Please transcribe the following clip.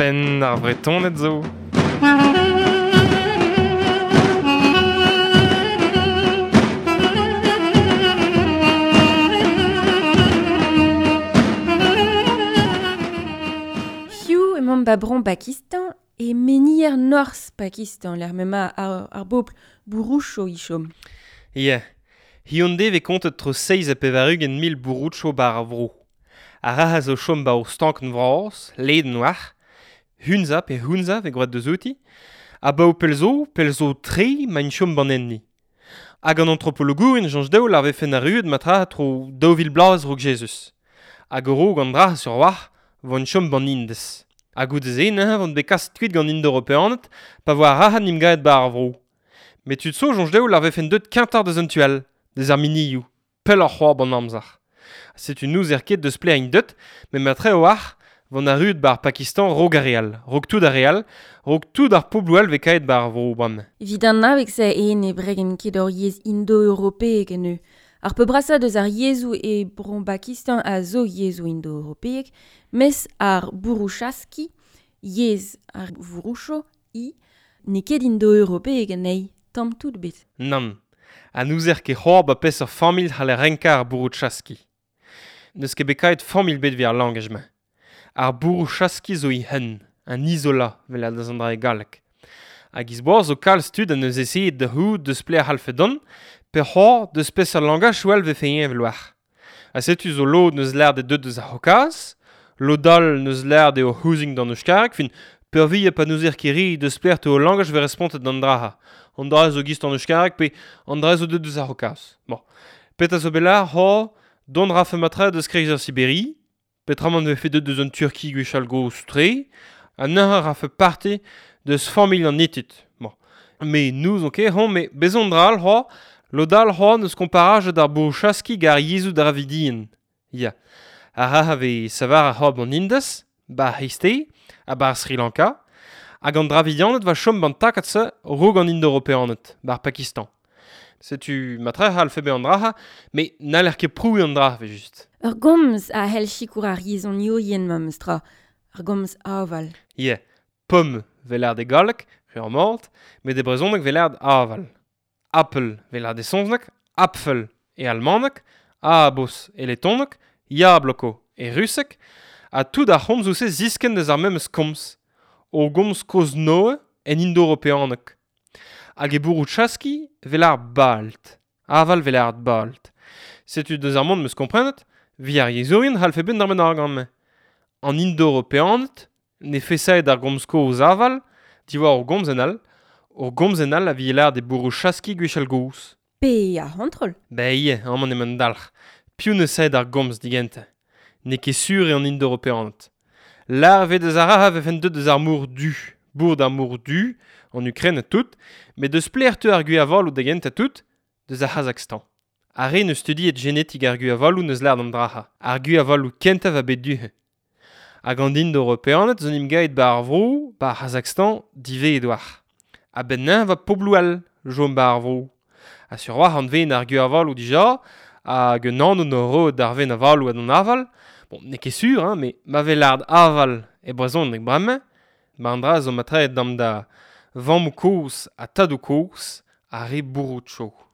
Penn ar Vretoned zo. Hiziv emaomp ba Bro Pakistan e menier norzh Pakistan, lec'h m'emañ ar bobl Bouroucho e chom. Ya, hiziv e vez kontet tro 87,000 Bouroucho bar ar vro. Ar ra zo chom ba ur stankenn vras, ledan war, Hunza pe Hunza vez gwraet deus outi, ha ba o pell zo, pell zo tre ma int chom ban enni. Hag an antropologourien soñj dezho lar vefen arruet matra tro 2000 bloaz raok Jezuz. Hag a-raok an dra sur war vont chom ban Indez. Ha goude-se neuze vont bet kaset kuit gant Indo-Europeaned pa voa ar rac'had n'im gaet ba ar vro. Met tud zo soñj dezho lar vefen deut kentoc'h deus an tu all, deus ar minioù, pelloc'h c'hoazh ban amzer. Setu n'ouzer ket deus pelec'h int deut, met matre a-walc'h vont arruet bar Pakistan raok ar re all, raok tout ar re all, raok tout ar pobloù all vez kaet bar ar vro bremañ. Evit an abeg-se eo ne bregen ket ur yezh indo-europeek eno. Ar peurbrasañ deus ar yezhoù e Bro Pakistan a zo yezhoù indo-europeek, mes ar bourouchaski, yezh ar Vouroucho, i, n'eo ket indo-europeek anezhi, tamm tout bet. Nann, ha n'ouzer ket c'hoazh ba peseurt familh c'haller renkañ ar bourouchaski. N'eus ket bet kaet familh bet evit ar langaj-mañ. Ar bourouchaski zo e-hun, un isola, vel a deus an dra e galleg. Hag iz-boaz zo kalz tud an eus eseet da c'hoût deus pelec'h c'hallfe dont, pe c'hoazh deus peseurt langaj all vefe heñvel war. Ha setu zo lod neus lâret eo deuet deus ar C'haokaz, lod all neus lâret eo c'houzing d'an euskareg, fin peurvuiañ pa n'ouzer ket re deus pelec'h teu o langaj vez respontet d'an dra-ha. An dra zo gist an euskareg pe an dra zo deuet deus ar C'haokaz. Bon. Petra zo bet lâret c'hoazh, dont rafe matre deus kreiz ar Siberi, petramant vefe deuet deus an Turki gwechall gozh-tre, ha neuze rafe parti deus familh an Hittit. Bon. Mais n'ouzon ket c'hoazh, met bezon dra all c'hoazh, lod all c'hoazh neus komparajet ar bourouchaski gant ar yezhoù dravidien. Ya. Ar ra vez savar ar c'hoazh an Indez, bar C'hreisteiz, ha bar Sri Lanka, hag an Dravidianed va chom ban takad-se raok an Indo-Europeaned, bar Pakistan. Setu matre c'hallfe bezañ an dra-ha, met n'haller ket prouiñ an dra, evel-just. Ur gomz a c'hell sikour ar yezhoniourien memes tra, ar gomz aval. Ya, pomme 'vez lâret e galleg, ur mat, met e brezhoneg 'vez lâret aval. Apple 'vez lâret e saozneg, Apfel e almaneg, Abos e letoneg, Yabloko e ruseg, ha tout ar c'homzoù-se ziskenn deus ar memes komz, ur gomz kozh-Noe en indo-europeaneg. Hag e bourouchaski 'vez lâret balt, aval 'vez lâret balt. Setu deus ar mont 'm eus komprenet, vi ar yezhourien c'hallfe bet d'ar bennak amañ. An indo-europeaned ne fesaet ar gomz kozh aval, diwar ur gomzenn all, ur gomzenn all a vije lâret e bourouchaski gwechall gozh. Pe ar c'hontrol. Ben ivez, amañ emañ an dalc'h. Piv ne saet ar gomz digentañ? N'eo ket sur eo an indo-europeaned. Lâret 'vez deus ar ra vefen deuet deus ar mor du, bourd ar mor du, an Ukraine ha tout, met deus pelec'h teu ar gwir-avaloù da gentañ tout, deus ar C'hazakhstan. Ar re neus studiet genetik ar gwir-avaloù neus lâret an dra-ha. Ar gwir-avaloù kentañ va bet du-he. Hag an indo-europeaned zo 'n em gaet ba ar vro, ba ar C'hazakhstan, divezet war. A-benn neuze va pobloù all chom ba ar vro. Ha sur war an ven ar gwir-avaloù dija, hag un anv no roet d'ar ven avaloù ha d'an aval. Bon, n'eo ket sur, hein, met ma vez lâret aval e brezhoneg bremañ, ma an dra zo matreet dam da vammoù kozh ha tadoù kozh ar re Bouroucho.